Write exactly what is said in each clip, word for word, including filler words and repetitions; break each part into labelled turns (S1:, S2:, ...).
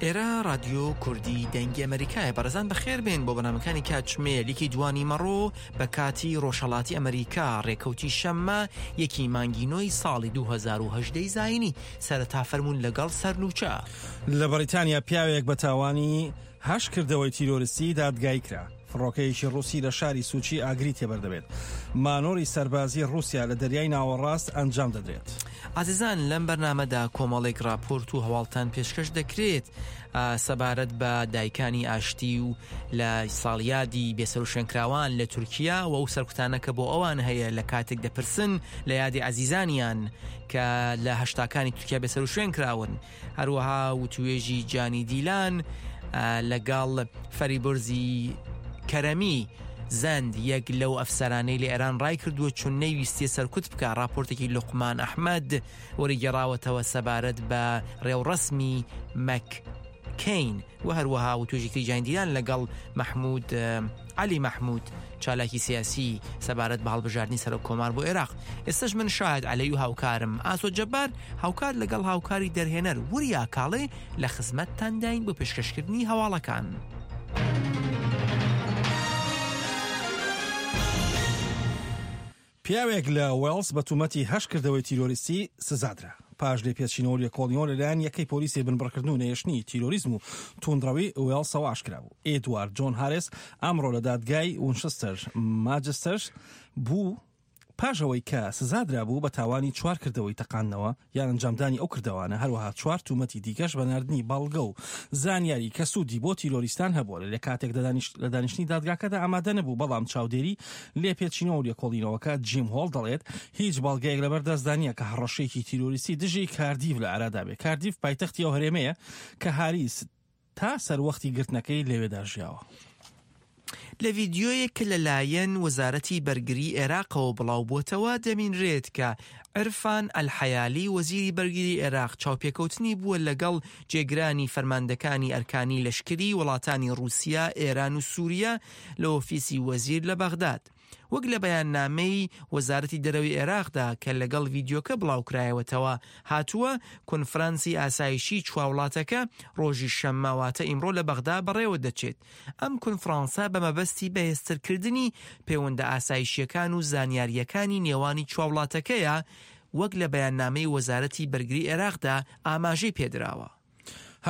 S1: ئێرە ڕادیۆ کوردی دەنگی ئەمریکایە. بەڕێزان بەخێر بێن بۆ بەرنامەکانی کاتژمێر یەکی دوانی مەڕۆ بە کاتی ڕۆژهەڵاتی ئەمریکا، ڕێکەوتی شەممە یەکی مانگی نۆی ساڵی دوو هەزار و هەژدە زایینی. سەرەتا فەرموون لەگەڵ سەرنوچە.
S2: لە بەریتانیا پیاوێک بە تاوانی هەشت کردەوەی تیرۆریستی دادگایی کرا. فڕۆکەیەکی ڕووسی لە شاری سوچی ئاگری تێبەر دەبێت. مانۆری سەربازی ڕووسیا لە دەریای ناوەڕاست ئەنجام دەدرێت.
S1: عزیزان لەم بەرنامەدا کۆمەڵێک راپۆرت و هەواڵتان پێشکەش دەکرێت سەبارەت بە دایکانی ئاشتی و لە ساڵیادی بێسەروشوێنکراوان لە تورکیا و ئەو سەرکوتانە کە بۆ ئەوان هەیە لە کاتێک دەپرسن لە یادی عەزیزانیان کە لە هەشتاکانی تورکیا بێسەروشوێن کراون. هەروەها وتوێژی جانی دیلان لەگەڵ فەریبرزی کەرەمی زەند یەک لەو ئەفسەرانەی لە ئێران ڕای کردووە چون نەیویستیە سەرکوت بکە. راپۆرتێکی لوقمان ئەحمەد وەریگەڕاوەتەوە سەبارەت بە ڕێوڕەسمی مەککەین و هەروەها وتوێژێکی جانی دیلان لەگەڵ مەحمود عەلی مەحمود چالاکی سیاسی سەبارەت بە هەڵبژاردنی سەرۆک کۆمار بۆ عێراق. ئێستاش من شاهد عەلەی و هاوکارم ئاسۆ جەبار هاوکار لەگەڵ هاوکاری دەرهێنەر وریا کاڵێ لە خزمەتتانداین بۆ پێشکەشکردنی هەواڵەکان.
S2: پیاوێک لە وێڵز بە تومەتی هەشت کردەوەی تیرۆریستی سزادرا. پاش لێپێچینەوە لێکۆڵینەوە لەلایەن یەکەی پۆلیسی بنبڕکردن و نەهێشتنی تیرۆریزم و توندڕەوی وێڵسەوە ئاشکرا بوو. ئێدوارد جۆن هاریس ئەمڕۆ لە دادگای وینچستەر ماجستەر بوو پاش ئەوەی کە سزادرا بوو بە تاوانی چوار کردەوەی تەقاندنەوە یان ئەنجامدانی ئەو کردەوانە، هەروەها چوار تومەتی دیکەش بە ناردنی بەڵگە و زانیاری کە سوودی بۆ تیرۆریستان هەبووە. لە کاتێک لە دانیشتنی دادگاکەدا ئامادە نەبوو، بەڵام چاودێری لێپێچینەوە و لێکۆڵینەوەکە جیم هۆڵ دەڵێت هیچ بەڵگەیەک لەبەردەستدا نییە کە هەڕەشەیەکی تیرۆریستی دژی کاردیف لە ئارادا بێت. کاردیف پایتەختی ئەو هەرێمەیە کە هاریس تا سەروەختی گرتنەکەی لەوێدا ژیاوە.
S1: لە ڤیدیۆیەک کە لەلایەن وەزارەتی بەرگری عێراقەوە بڵاو بووەتەوە دەبینرێت کە عرفان ئەلحەیالی وەزیری بەرگری عێراق چاوپێکەوتنی بووە لەگەڵ جێگرانی فەرماندەکانی ئەرکانی لەشکری وڵاتانی ڕووسیا، ئێران و سووریا لە ئۆفیسی وەزیر لە بەغداد. وەک لە بەیاننامەی وەزارەتی دەرەوەی عێراقدا کە لەگەڵ ڤیدیۆکە بڵاوکرایەوەتەوە هاتووە، کۆنفرانسی ئاسایشی چوار وڵاتەکە ڕۆژی شەممە واتە ئیمڕۆ لە بەغدا بەڕێوە دەچێت. ئەم کۆنفرانسە بە مەبەستی بەهێزترکردنی پەیوەندە ئاسایشیەکان و زانیاریەکانی نێوانی چوار وڵاتەکەیە، وەک لە بەیاننامەی وەزارەتی بەرگری عێراقدا ئاماژەی پێدراوە.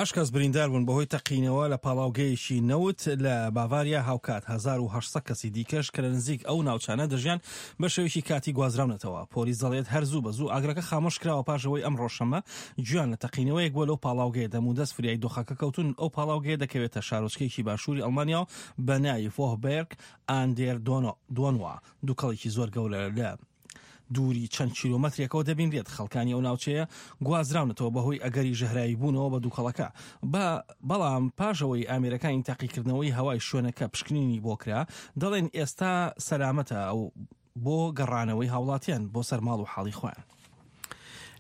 S2: هەشت کەس بریندار بوون بەهۆی تەقینەوە لە پاڵاوگەیەکی نەوت لە باڤاریا، هاوکات هەزار و هەشت سەد کەسی دیکەش کە لە نزیک ئەو ناوچانە دەژیان بە شێوەیەکی کاتی گوازراونەتەوە. پۆلیس دەڵێت هەر زوو بە زوو ئاگرەکە خامۆش کراوە پاش ئەوەی ئەمڕۆ شەممە گویان لە تەقینەوەیەک بووە لەو پاڵاوگەیە. دەمودەست فریای دۆخەکە کەوتون. ئەو پاڵاوگەیە دەکەوێتە شارۆچکەیەکی باشووری ئەڵمانیا و بە ناوی فۆهبێرگ ئاندێر دۆنوا. دووکەڵێکی زۆر گەورە لە دووری چەند کیلۆمەترێکەوە دەبینرێت. خەڵکانی ئەو ناوچەیە گوازراونەتەوە بەهۆی ئەگەری ژەهراوی بوونەوە بە دووکەڵەکە. بەڵام پاش ئەوەی ئامێرەکانی تاقیکردنەوەی هەوای شوێنەکە پشکنینی بۆ کرا، دەڵێن ئێستا سەلامەتە ئەو بۆ گەڕانەوەی هاوڵاتیان بۆ سەر ماڵ و حاڵی خۆیان.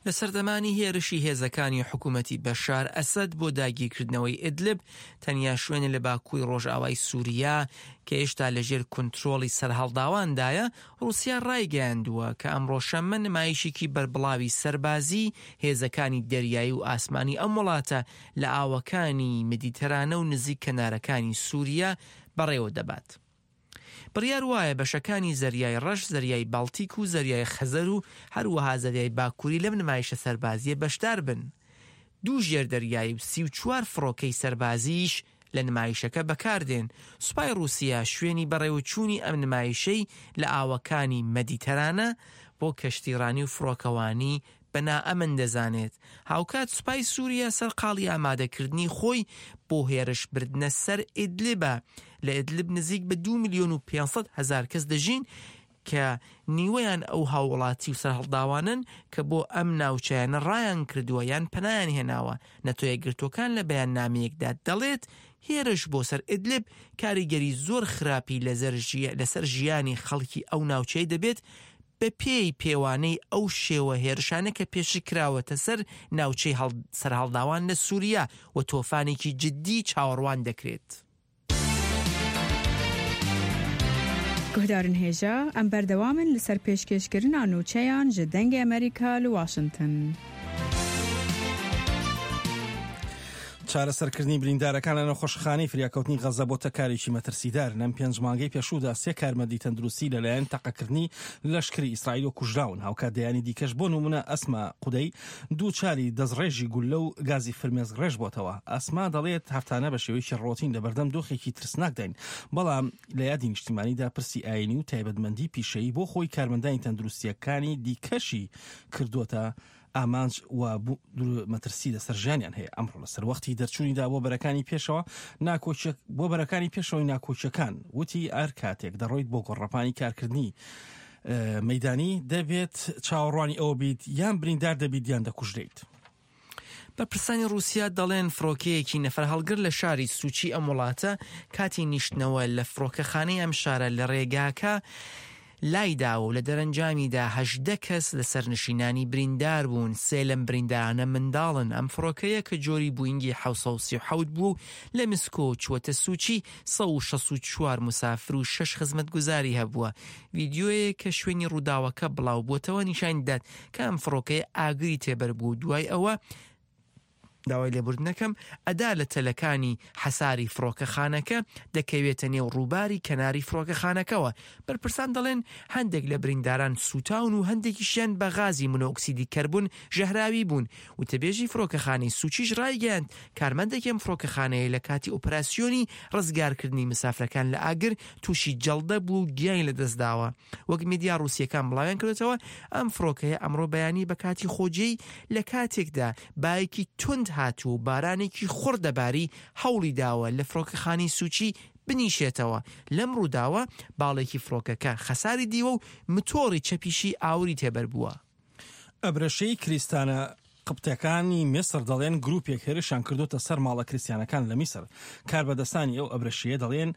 S1: لە سەردەمانی هێرشی هێزەکانی حکوومەتی بەشار ئەسەد بۆ داگیرکردنەوەی ئیدلب، تەنیا شوێنە لە باکووی ڕۆژئاوای سووریا کە هێشتا لەژێر کۆنترۆڵی سەرهەڵداواندایە، ڕووسیا ڕایگەیاندووە کە ئەمڕۆ شەممە نمایشێکی بەربڵاوی سەربازی هێزەکانی دەریایی و ئاسمانی ئەم وڵاتە لە ئاوەکانی مدیتەرانە و نزیک کەنارەکانی سووریا بەڕێوە دەبات. بڕیار وایە بەشەکانی زەریای ڕەش، زەریای باڵتیک و زەریای خەزەر و هەروەها زەریای باکووری لەم نمایشە سەربازیە بەشدار بن. دوو ژێر دەریایی و سی و چوار فڕۆکەی سەربازیش لە نمایشەکە بەکاردێن. سوپای ڕووسیا شوێنی بەڕێوەچوونی ئەم نمایشەی لە ئاوەکانی مەدیتەرانە بۆ کەشتیڕانی و فڕۆکەوانی بە نائەمن دەزانێت. هاوکات سوپای سووریا سەرقاڵی ئامادەکردنی خۆی بۆ هێرشبردنە سەر ئیدلبە. لە ئیدلب نزیک بە دوو ملیۆن و پێنج سەد هەزار کەس دەژین کە نیوەیان ئەو هاوڵاتی و سەرهەڵداوانن کە بۆ ئەم ناوچەیانە ڕایان کردووە یان پەنایان هێناوە. نەتەوە یەکگرتووەکان لە بەیاننامەیەکدا دەڵێت هێرش بۆ سەر ئیدلب کاریگەری زۆر خراپی لەسەر ژیانی خەڵکی ئەو ناوچەیە دەبێت بە پێی پێوانەی ئەو شێوە هێرشانە کە پێشی کراوەتە سەر ناوچەی سەرهەڵداوان لە سووریا و تۆفانێکی جدی چاوەڕوان دەکرێت.
S3: گوهدارن هێژا ئەم بەردەوامن لەسەر پێشکێشکردنا نوچەیان ji دەنگê Amerîka li Washington.
S2: چارەسەرکردنی بریندارەکان لە نەخۆشخانەی فریاکەوتنی غەزە بۆتە کارێکی مەترسیدار. لەم پێنج مانگەی پێشوودا سێ کارمەندی تەندروستی لەلایەن تەقەکردنی لەشکری ئیسرائیل کوژراون. هاوکات دەیانی دیکەش بۆ نمونە ئەسما قودەی دووچاری دەستڕێژی گولە و گازی فرمێسکڕێژ بۆتەوە. ئەسما دەڵێت هەفتانە بە شێوەیەکی ڕۆتین لە بەردەم دۆخێکی ترسناکداین، بەڵام لە یادی نیشتیمانیدا پرسی ئاینی و تایبەتمەندی پیشەیی بۆ خۆی کارمەندانی تەندروستیەکانی دیکەشی کردووەتە ئامانج و مەترسی لەسەر ژیانیان هەیە. ئەمڕۆ لەسەر وەختی دەرچوونیدا بۆ بەرەکانی پێشەوە ناکۆچێک بۆ بەرەکانی پێشەوەی ناکۆچەکان وتی ئەر کاتێک دەڕۆیت بۆ گۆڕەپانی کارکردنی مەدانی دەبێت چاوەڕوانی ئەوە بیت یان بریندار دەبیت یان دەکوژرێیت.
S1: بەرپرسانی ڕووسیا دەڵێن فڕۆکەیەکی نەفەرهەڵگر لە شاری سوچی ئەم وڵاتە کاتی نیشتنەوە لە فڕۆکەخانەی ئەم شارە لە ڕێگاکە لایداوە و لە دەرەنجامیدا هەژدە کەس لە سەرنشینانی بریندار بوون. سێ لەم بریندارانە منداڵن. ئەم فڕۆکەیە کە جۆری بووینگی حەوت سەد و سی و حەوت بوو لە مسکۆ چووەتە سوچی سەد و شەست و چوار مسافر و شەش خزمەتگوزاری هەبووە. ڤیدیۆیەک کە شوێنی ڕووداوەکە بڵاو بووەتەوە نیشان دەدات کە ئەم فڕۆکەیە ئاگری تێبەر بوو. دوای ئەوە داوای لێبوردنەکەم ئەدا لە تەلەکانی حەساری فڕۆکەخانەکە دەکەوێتە نێو ڕووباری کەناری فڕۆکەخانەکەوە. بەرپرسان دەڵێن هەندێک لە برینداران سووتاون و هەندێکیشیان بە غازی مۆنۆکسیدی کەربوون ژەهراوی بوون. وتەبێژی فڕۆکەخانەی سوچیش ڕایگەیاند کارمەندێکی ئەم فڕۆکەخانەیە لە کاتی ئۆپەراسیۆنی ڕزگارکردنی مسافرەکان لە ئاگر تووشی جەڵدە بوو و گیانی لەدەستداوە. وەک میدیا ڕووسیەکان بڵاویان کردوێتەوە ئەم فڕۆکەیە ئەمڕۆ بەیانی بە کاتی خۆجێی لە کاتێکدا بایەکی توند هاتوو و بارانێکی خوڕ دەباری هەوڵی داوە لە فڕۆکەخانەی سوچی بنیشێتەوە. لەم ڕووداوە باڵێکی فڕۆکەکە خەساری دیوە و متۆڕی چەپیشی ئاوری تێبەر بووە.
S2: ئەبرەشەی کریستانە قبتەکانی میسر دەڵێن گروپێک هێرشیان کردوتە سەر ماڵە کریستیانەکان لە میسر. کاربەدەستانی ئەو ئەبرەشەیە دەڵێن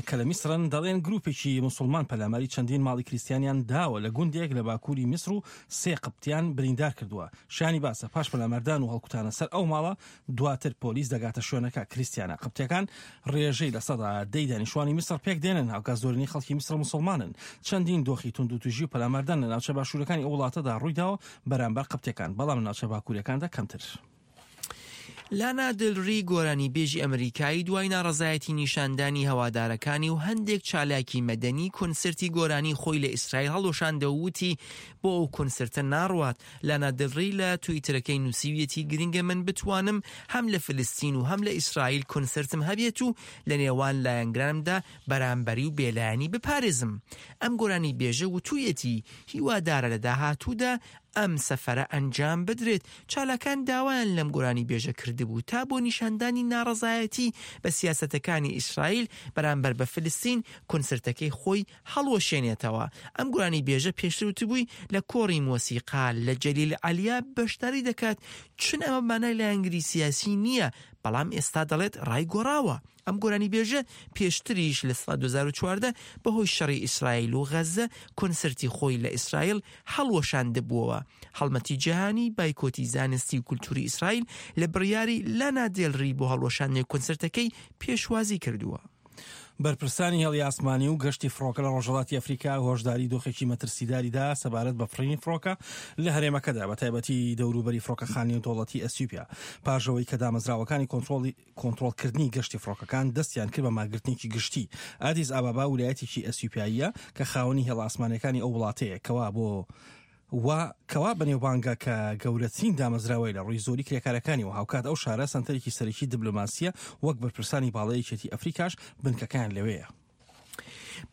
S2: کە لە میسرن دەڵێن گروپێکی مسلمان پەلاماری چەندین ماڵی کریستیانیان داوە لە گوندێک لە باکووری میسر و سێ قبتیان بریندار کردووە. شانی باسە پاش پەلاماردان و هەڵکوتانە سەر ئەو ماڵە دواتر پۆلیس دەگاتە شوێنەکە. کریستیانە قبتیەکان ڕێژەی لە سەدا دەی دانیشتوانی میسر پێک دێنن، هاوکات زۆرینەی خەڵکی میسر مسلمانن. چەندین دۆخی توندوتیژی و پەلاماردان لە ناوچە باشوورەکانی ئەو وڵاتەدا ڕوویداوە بەرامبەر قبتیەکان، بەڵام لە ناوچە باکووریەکاندا کەمتر.
S1: لانا دلری گۆرانی بێژی ئەمریکایی دوای ناڕەزایەتی نیشاندانی هەوادارەکانی و هەندێک چالاکی مەدەنی کۆنسرتی گۆرانی خۆی لە ئیسرائیل هەڵوەشاندەوە وتی بۆ ئەو کۆنسرتە ناڕوات. لانا دلری لە تویتەرەکەی نووسیویەتی گرنگە من بتوانم هەم لە فلستین و هەم لە ئیسرائیل کۆنسرتم هەبێت و لە نێوان لایەنگرانمدا بەرامبەری و بێلایەنی بپارێزم. ئەم گۆرانی بێژە وتوویەتی هیوادارە لە داهاتوودا ئەم سەفەرە ئەنجام بدرێت. چالاکان داوایان لەم گۆرانی بێژە کردبوو تا بۆ نیشاندانی ناڕەزایەتی بە سیاسەتەکانی ئیسرائیل بەرامبەر بە فلستین کۆنسرتەکەی خۆی هەڵوەشێنێتەوە. ئەم گۆرانی بێژە پێشتر وتبووی لە کۆڕی مۆسیقا لە جەلیل عەلیا بەشداری دەکات، چون ئەمە مانای لایەنگری سیاسی نییە، بەڵام ئێستا دەڵێت ڕای گۆڕاوە. ئەم گۆرانی بێژە پێشتریش لە ساڵ دوو هەزار و چواردە بەهۆی شەڕی ئیسرائیل و غەزە کۆنسرتی خۆی لە ئیسرائیل هەڵوەشاندبووەوە. هەڵمەتی جیهانی بایکۆتی زانستی و کولتوری ئیسرائیل لە بڕیاری لانا دێلری بۆ هەڵوەشاندنی کۆنسرتەکەی پێشوازی کردووە.
S2: بەرپرسانی هێڵی ئاسمانی و گەشتی فڕۆکە لە ڕۆژهەڵاتی ئەفریکا هۆشداری دۆخێکی مەترسیداریدا سەبارەت بە فڕینی فڕۆکە لە هەرێمەکەدا، بە تایبەتی دەوروبەری فڕۆکەخانەی دەوڵەتی ئەسیوپیا، پاش ئەوەی کە دامەزراوەکانی کۆنترۆڵی کۆنترۆڵکردنی گەشتی فڕۆکەکان دەستیان کرد بە ماگرتنێکی گشتی. ئادیس ئابابا ولایەتێکی ئەسیوپیاییە کە خاوەنی هێڵ ئاسمانیەکانی ئەو وڵاتەیە کەوا بۆ و کەوا بەنێوبانگە کە گەورەترین دامەزراوەی لە ڕووی زۆری کرێکارەکانی و هاوکات ئەو شارە سەنتەرێکی سەرەکی دیبلۆماسیە وەک بەرپرسانی باڵای یەکێتی ئەفریکاش بنکەکان لەوەیە.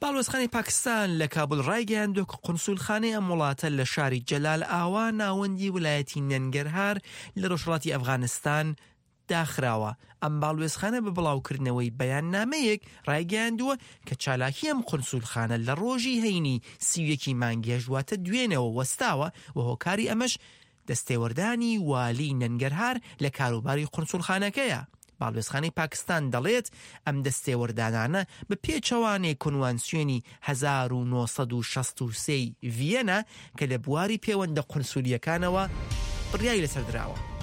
S1: باڵوێزخانەی پاکستان لە کابل ڕایگەیاندووە کە قونسولخانەی ئەم وڵاتە لە شاری جەلال ئاوا ناوەندی ولایەتی نەنگەرهار لە ڕۆژهەڵاتی ئەفغانستان داخراوە. ئەم باڵوێزخانە بە بڵاوکردنەوەی بەیاننامەیەک ڕایگەیاندووە کە چالاکی ئەم قونسولخانە لە ڕۆژی هەینی سی و یەکی مانگی هەشت واتە دوێنەوە وەستاوە و هۆکاری ئەمەش دەستێوەردانی والی نەنگەرهار لە کاروباری قونسولخانەکەیە. باڵوێزخانەی پاکستان دەڵێت ئەم دەستێوەردانانە بە پێچەوانەی کۆنوانسیۆنی هەزار و نۆ سەد و شەست و سێ ڤیەنە کە لە بواری پەیوەندە قونسولیەکانەوە بڕیاری لەسەر دراوە.